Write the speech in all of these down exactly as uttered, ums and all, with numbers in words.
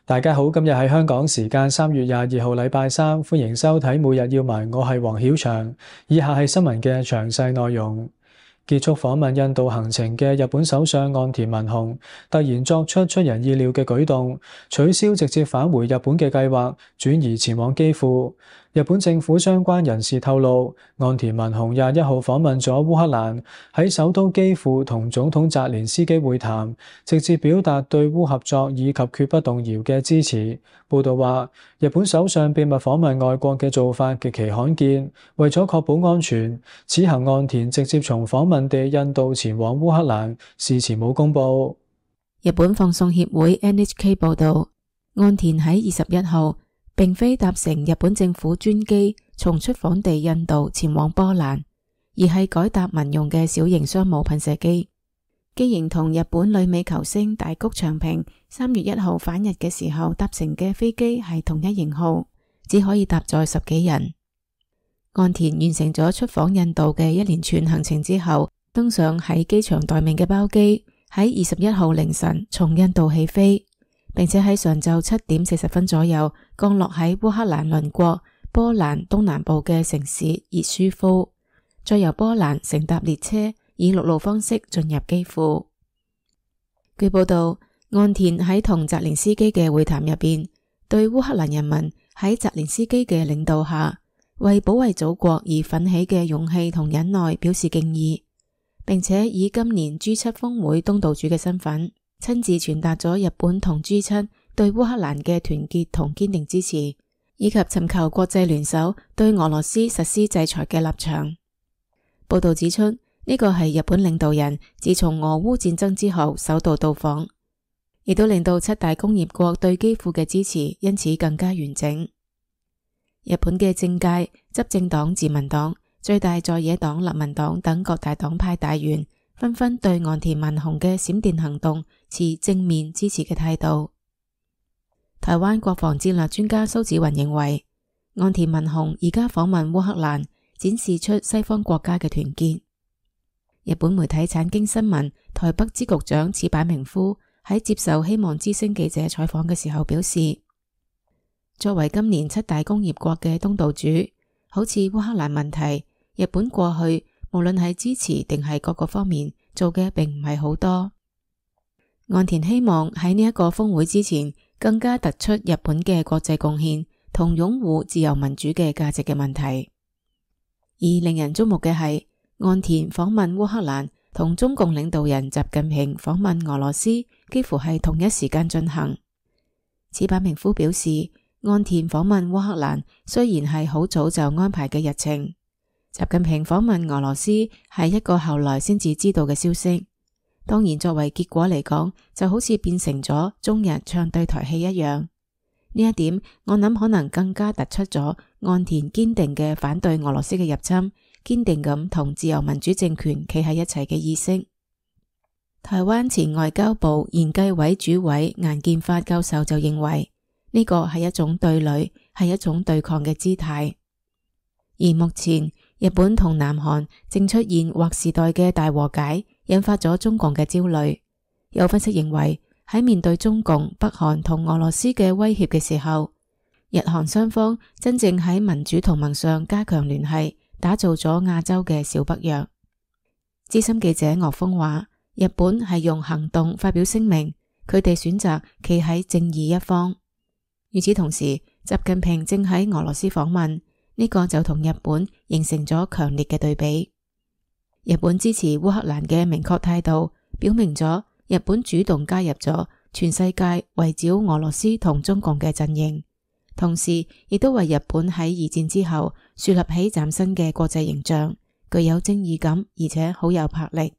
大家好，今日係香港時間三月廿二號禮拜三，歡迎收睇每日要聞，我係黃曉翔。以下係新聞嘅詳細內容。結束訪問印度行程嘅日本首相岸田文雄突然作出出人意料嘅舉動，取消直接返回日本嘅計劃，轉移前往基輔。日本政府相關人士透露，岸田文雄廿一號訪問咗烏克蘭，喺首都基輔同總統澤連斯基會談，直接表達對烏合作以及決不動搖嘅支持。報道話，日本首相秘密訪問外國嘅做法極其罕見，為咗確保安全，此行岸田直接從訪問地印度前往烏克蘭，事前冇公佈。日本放送協會 N H K 報導，岸田喺二十一號並非搭乘日本政府專機從出訪地印度前往波蘭，而係改搭民用嘅小型商務噴射機。機型同日本女美球星大谷翔平三月一號返日嘅時候搭乘嘅飛機係同一型號，只可以搭載十幾人。岸田完成咗出訪印度嘅一連串行程之後，登上喺機場待命嘅包機，喺二十一號凌晨從印度起飛，並且喺上晝七點四十分左右降落喺烏克蘭鄰國波蘭東南部嘅城市熱舒夫，再由波蘭乘搭列車以陸路方式進入基輔。據報道，岸田喺同澤連斯基嘅會談入邊，對烏克蘭人民喺澤連斯基嘅領導下為保衛祖國而奮起嘅勇氣同忍耐表示敬意，並且以今年 G 七 峰會東道主嘅身份，親自傳達咗日本同 G 七 對烏克蘭嘅團結同堅定支持，以及尋求國際聯手對俄羅斯實施制裁嘅立場。報道指出，呢個係日本領導人自從俄烏戰爭之後首度到訪，亦都令到七大工業國對基輔嘅支持因此更加完整。日本嘅政界、執政黨自民黨、最大在野黨立民黨等各大黨派大員紛紛對岸田文雄嘅閃電行動持正面支持嘅態度。台灣國防戰略專家蘇紫雲認為，岸田文雄而家訪問烏克蘭，展示出西方國家嘅團結。日本媒體產經新聞台北支局長矢板明夫喺接受希望之聲記者採訪嘅時候表示，作為今年七大工業國嘅東道主，好似烏克蘭問題，日本過去無論係支持定係各個方面做嘅並唔係好多。岸田希望喺呢一個峰會之前更加突出日本嘅國際貢獻同擁護自由民主嘅價值嘅問題。而令人矚目嘅係，岸田訪問烏克蘭同中共領導人習近平訪問俄羅斯幾乎係同一時間進行。矢板明夫表示，岸田訪問烏克蘭雖然係好早就安排嘅日程，習近平訪問俄羅斯係一個後來先至知道嘅消息。當然作為結果嚟講，就好似變成咗中日唱對台戲一樣。呢一點我諗可能更加突出咗岸田堅定嘅反對俄羅斯嘅入侵，堅定咁同自由民主政權企喺一齊嘅意識。台灣前外交部研計委主委顏建發教授就認為，呢個係一種對壘，係一種對抗嘅姿態。而目前日本同南韓正出現劃時代嘅大和解，引發咗中共嘅焦慮。有分析認為，喺面對中共、北韓同俄羅斯嘅威脅嘅時候，日韓雙方真正喺民主同盟上加強聯繫，打造咗亞洲嘅小北約。資深記者岳峰話，日本係用行動發表聲明，佢哋選擇企喺正義一方。與此同時，習近平正喺俄羅斯訪問，呢個就同日本形成咗強烈嘅對比。日本支持烏克蘭嘅明確態度，表明咗日本主動加入咗全世界圍繞俄羅斯同中共嘅陣營，同時亦都為日本喺二戰之後樹立起嶄新嘅國際形象，具有正義感，而且好有魄力。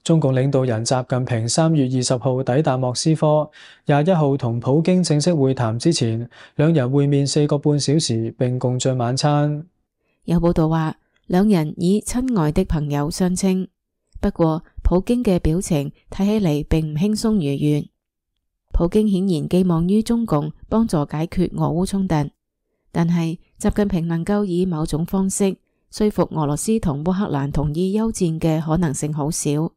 中共領導人習近平三月二十號抵達莫斯科，廿一號同普京正式會談之前，兩人會面四個半小時並共進晚餐。有報道話，兩人以親愛的朋友相稱。不過，普京嘅表情睇起嚟並唔輕鬆愉悅。普京顯然寄望於中共幫助解決俄烏衝突，但係習近平能夠以某種方式說服俄羅斯同烏克蘭同意休戰嘅可能性好少。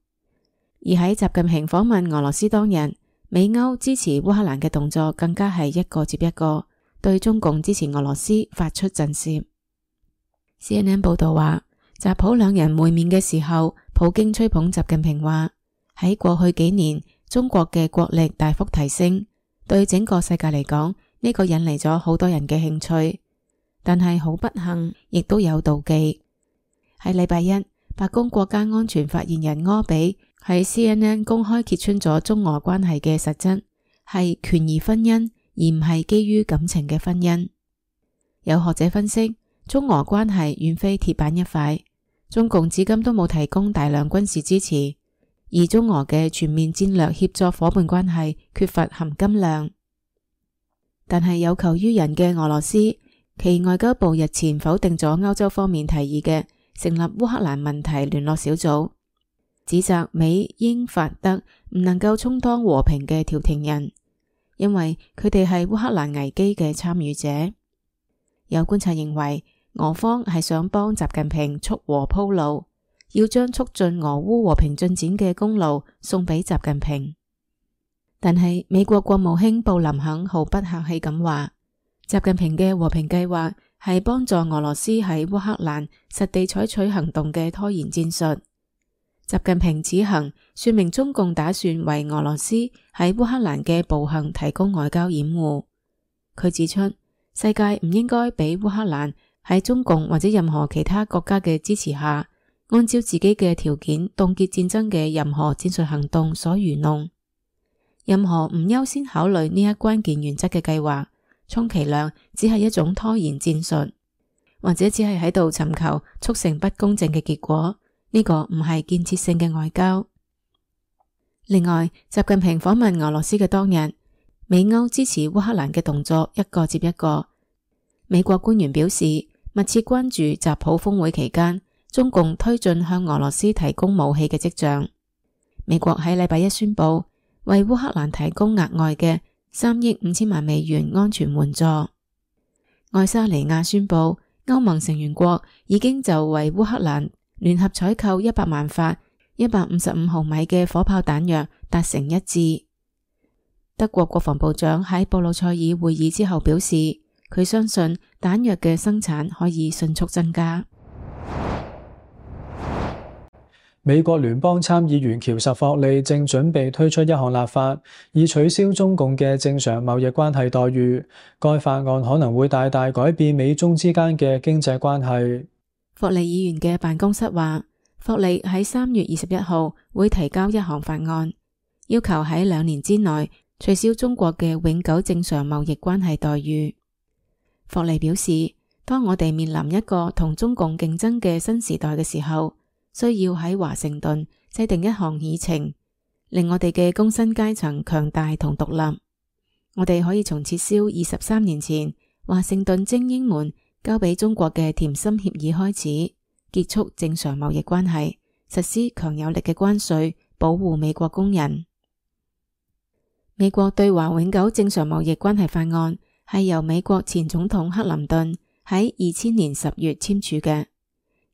而喺習近平訪問俄羅斯當日，美歐支持烏克蘭嘅動作更加係一個接一個，對中共支持俄羅斯發出震懾。C N N 報道話，習普兩人會面嘅時候，普京吹捧習近平話，喺過去幾年，中國嘅國力大幅提升，對整個世界嚟講，呢個引嚟咗好多人嘅興趣。但係好不幸，亦都有妒忌。喺禮拜一，白宮國家安全發言人柯比喺 C N N 公開揭穿咗中俄關係嘅實質，係權宜婚姻，而唔係基於感情嘅婚姻。有學者分析，中俄關係遠非鐵板一塊，中共至今都冇提供大量軍事支持，而中俄嘅全面戰略協作夥伴關係缺乏含金量。但係有求於人嘅俄羅斯，其外交部日前否定咗歐洲方面提議嘅成立烏克蘭問題聯絡小組，指責美英法德唔能夠充當和平嘅調停人，因為佢哋係烏克蘭危機嘅參與者。有觀察認為，俄方係想幫習近平促和鋪路，要將促進俄烏和平進展嘅功勞送俾習近平。但係美國國務卿布林肯毫不客氣咁話，習近平嘅和平計劃係幫助俄羅斯喺烏克蘭實地採取行動嘅拖延戰術。習近平此行說明中共打算為俄羅斯喺烏克蘭嘅暴行提供外交掩護。佢指出，世界唔應該俾烏克蘭喺中共或者任何其他國家嘅支持下，按照自己嘅條件凍結戰爭嘅任何戰術行動所愚弄。任何唔優先考慮呢一關鍵原則嘅計劃，充其量只係一種拖延戰術，或者只係喺度尋求促成不公正嘅結果。呢個唔係建設性嘅外交。另外，習近平訪問俄羅斯嘅當日，美歐支持烏克蘭嘅動作一個接一個。美國官員表示，密切關注習普峰會期間中共推進向俄羅斯提供武器嘅跡象。美國喺禮拜一宣布為烏克蘭提供額外嘅三億五千萬美元安全援助。愛沙尼亞宣布，歐盟成員國已經就為烏克蘭聯合採購一百萬發一百五十五毫米嘅火炮彈藥達成一致。德國國防部長喺布魯塞爾會議之後表示，佢相信彈藥嘅生產可以迅速增加。美國聯邦參議員喬什霍利正準備推出一項立法，以取消中共嘅正常貿易關係待遇。該法案可能會大大改變美中之間嘅經濟關係。霍利議員嘅辦公室話，霍利喺三月二十一號會提交一項法案，要求喺兩年之內取消中國嘅永久正常貿易關係待遇。霍利表示，當我哋面臨一個同中共競爭嘅新時代嘅時候，需要喺華盛頓制定一項議程，令我哋嘅工薪階層強大同獨立。我哋可以從撤銷二十三年前華盛頓精英們交俾中國嘅甜心協議開始，結束正常貿易關係，實施強有力嘅關稅，保護美國工人。美國對華永久正常貿易關係法案係由美國前總統克林頓喺二千年十月簽署嘅。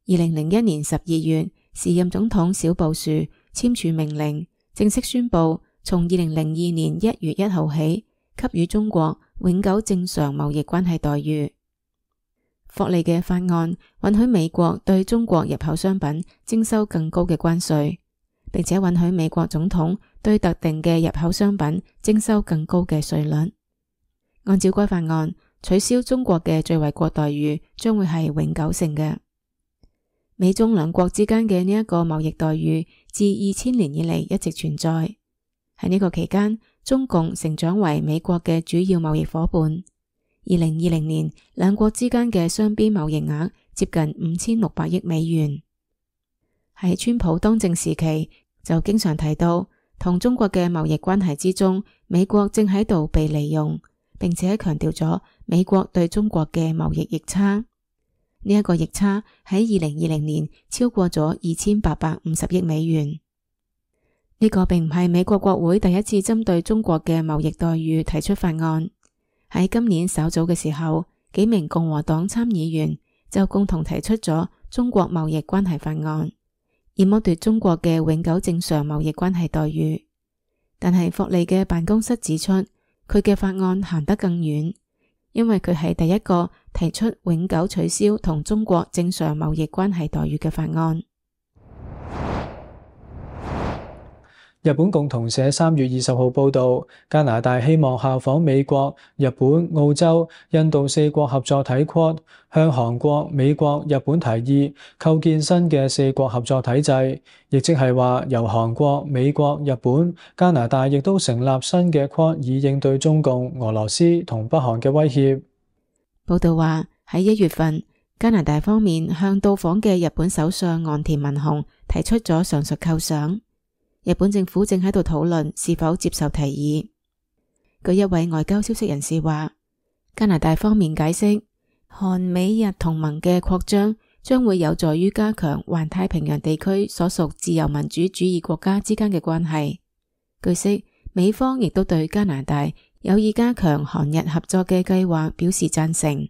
二零零一年十二月，時任總統小布殊簽署命令，正式宣布從二零零二年一月一號起，給予中國永久正常貿易關係待遇。霍利嘅法案允許美國對中國入口商品徵收更高嘅關稅，並且允許美國總統對特定嘅入口商品徵收更高嘅稅率。按照該法案，取消中國嘅最惠國待遇將會係永久性嘅。美中兩國之間嘅呢一個貿易待遇自二千年以嚟一直存在。喺呢個期間，中共成長為美國嘅主要貿易夥伴。二零二零年，兩國之間嘅雙邊貿易額接近五千六百億美元。喺川普當政時期，就經常提到同中國嘅貿易關係之中，美國正喺度被利用，並且強調咗美國對中國嘅貿易逆差。呢一個逆差喺二零二零年超過咗二千八百五十億美元。呢個並唔係美國國會第一次針對中國嘅貿易待遇提出法案。喺今年稍早嘅時候，幾名共和黨參議員就共同提出咗中國貿易關係法案，以剝奪中國嘅永久正常貿易關係待遇。但係霍利嘅辦公室指出，佢嘅法案行得更遠，因為佢係第一個提出永久取消同中國正常貿易關係待遇嘅法案。日本共同社三月二十號報導，加拿大希望效仿美國、日本、澳洲、印度四國合作體 Quad， 向韓國、美國、日本提議構建新嘅四國合作體制，亦即係話由韓國、美國、日本、加拿大亦都成立新嘅 Quad， 以應對中共、俄羅斯同北韓嘅威脅。報導話喺一月份，加拿大方面向到訪嘅日本首相岸田文雄提出咗上述構想。日本政府正喺度討論是否接受提議。據一位外交消息人士話，加拿大方面解釋，韓美日同盟嘅擴張將會有助於加強環太平洋地區所屬自由民主主義國家之間嘅關係。據悉，美方亦都對加拿大有意加強韓日合作嘅計劃表示贊成。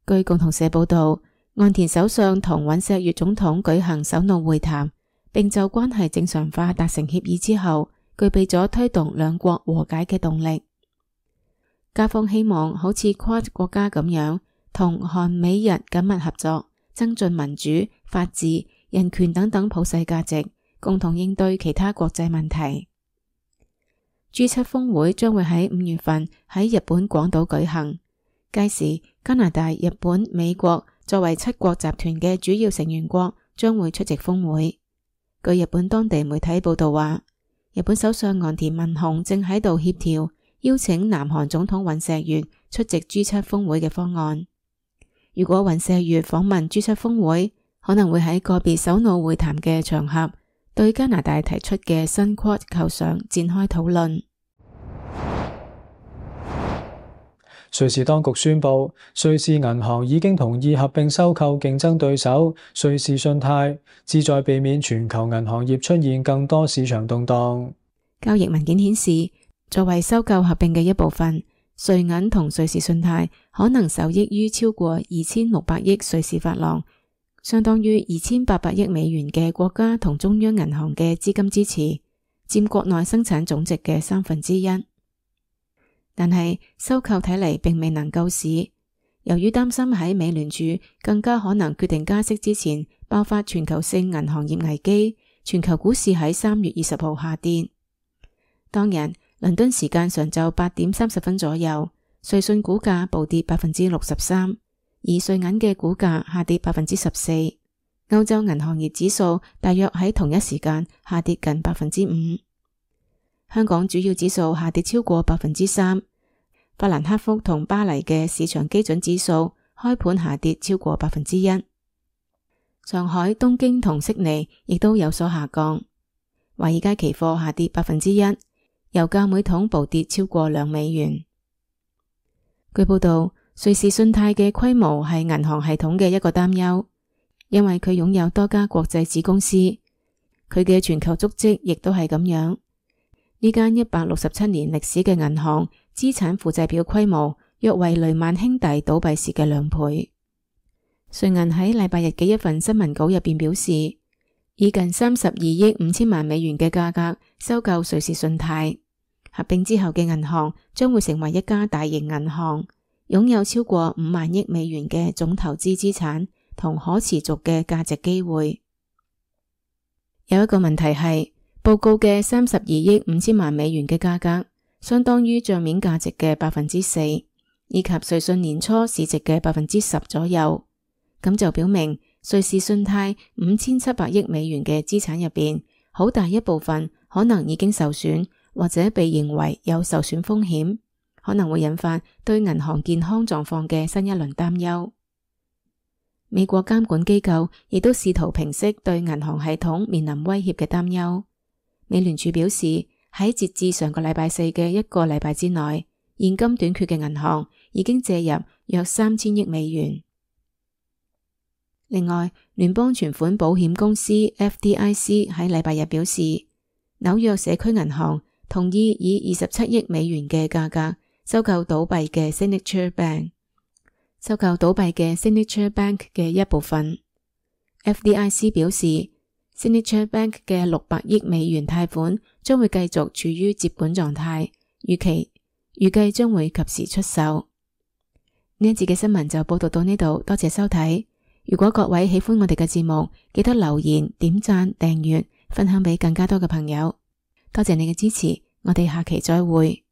據共同社報道，岸田首相同尹錫悅總統舉行首腦會談，並就關係正常化達成協議之後，具備咗推動兩國和解嘅動力。加方希望好似 Quad 國家咁樣，同韓美日緊密合作，增進民主、法治、人權等等普世價值，共同應對其他國際問題。G 七峰會將會喺五月份喺日本廣島舉行，屆時加拿大、日本、美國作為七國集團嘅主要成員國將會出席峰會。據日本當地媒體報道話，日本首相岸田文雄正喺度協調邀請南韓總統尹錫悅出席 G 七峰會嘅方案。如果尹錫悅訪問 G 七峰會，可能會喺個別首腦會談嘅場合，對加拿大提出嘅新 Quad 構想展開討論。瑞士當局宣布，瑞士銀行已經同意合併收購競爭對手瑞士信貸，旨在避免全球銀行業出現更多市場動盪。交易文件顯示，作為收購合併嘅一部分，瑞銀同瑞士信貸可能受益於超過二千六百億瑞士法郎，相當於二千八百億美元嘅國家同中央銀行嘅資金支持，佔國內生產總值嘅三分之一。但係收購睇嚟並未能夠使，由於擔心喺美聯儲更加可能決定加息之前爆發全球性銀行業危機，全球股市喺三月二十號下跌。當日倫敦時間上晝八點三十分左右，瑞信股價暴跌百分之六十三，而瑞銀嘅股價下跌百分之十四。歐洲銀行業指數大約喺同一時間下跌近百分之五。香港主要指數下跌超過百分之三，法蘭克福同巴黎嘅市場基準指數開盤下跌超過百分之一。上海、東京同悉尼亦都有所下降。華爾街期貨下跌百分之一，油價每桶暴跌超過兩美元。據報道，瑞士信貸嘅規模係銀行系統嘅一個擔憂，因為佢擁有多家國際子公司，佢嘅全球足跡亦都係咁樣。呢間一百六十七年歷史嘅銀行資產負債表規模約為雷曼兄弟倒閉時嘅兩倍。瑞銀喺禮拜日嘅一份新聞稿入邊表示，以近三十二億五千萬美元嘅價格收購瑞士信貸，合併之後嘅銀行將會成為一家大型銀行，擁有超過五萬億美元嘅總投資資產同可持續嘅價值機會。有一個問題係，報告嘅三十二億五千萬美元嘅價格，相當於賬面價值嘅百分之四，以及瑞信年初市值嘅百分之十左右。咁就表明瑞士信貸五千七百億美元嘅資產入邊，好大一部分可能已經受損，或者被認為有受損風險，可能會引發對銀行健康狀況嘅新一輪擔憂。美國監管機構亦都試圖平息對銀行系統面臨威脅嘅擔憂。美聯儲表示，喺截至上個禮拜四嘅一個禮拜之內，現金短缺嘅銀行已經借入約三千億美元。另外，聯邦存款保險公司 F D I C 喺禮拜日表示，紐約社區銀行同意以二十七億美元嘅價格收購倒閉嘅 Signature Bank， 收購倒閉嘅 Signature Bank 嘅一部分。F D I C 表示， Signature Bank 嘅六百億美元貸款將會繼續處於接管狀態，預期預計將會及時出售。呢一節嘅新聞就報道到呢度，多謝收睇。如果各位喜歡我哋嘅節目，記得留言、點讚、訂閱、分享俾更加多嘅朋友。多謝你嘅支持，我哋下期再會。